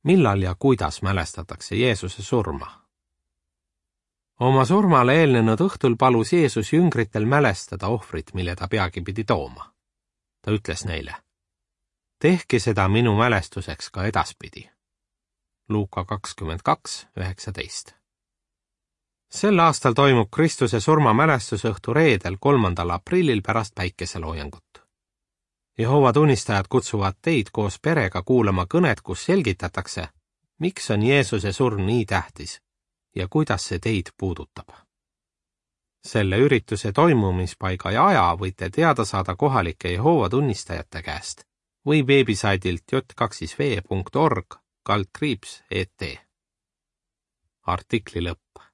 Millal ja kuidas mälestatakse Jeesuse surma? Oma surmale eelnenud õhtul palus Jeesus jüngritel mälestada ohvrit, mille ta peagi pidi tooma. Ta ütles neile: tehke seda minu mälestuseks ka edaspidi. Luuka 22:19. Sel aastal toimub Kristuse surma mälestusõhtu reedel 3. aprillil pärast päikeseloojangut. Jehova tunnistajad kutsuvad teid koos perega kuulama kõnet, kus selgitatakse, miks on Jeesuse surm nii tähtis ja kuidas see teid puudutab. Selle ürituse toimumispaiga ja aja võite teada saada kohalike Jehova tunnistajate käest või veebisaidilt j2v.org/et. Artikli lõpp.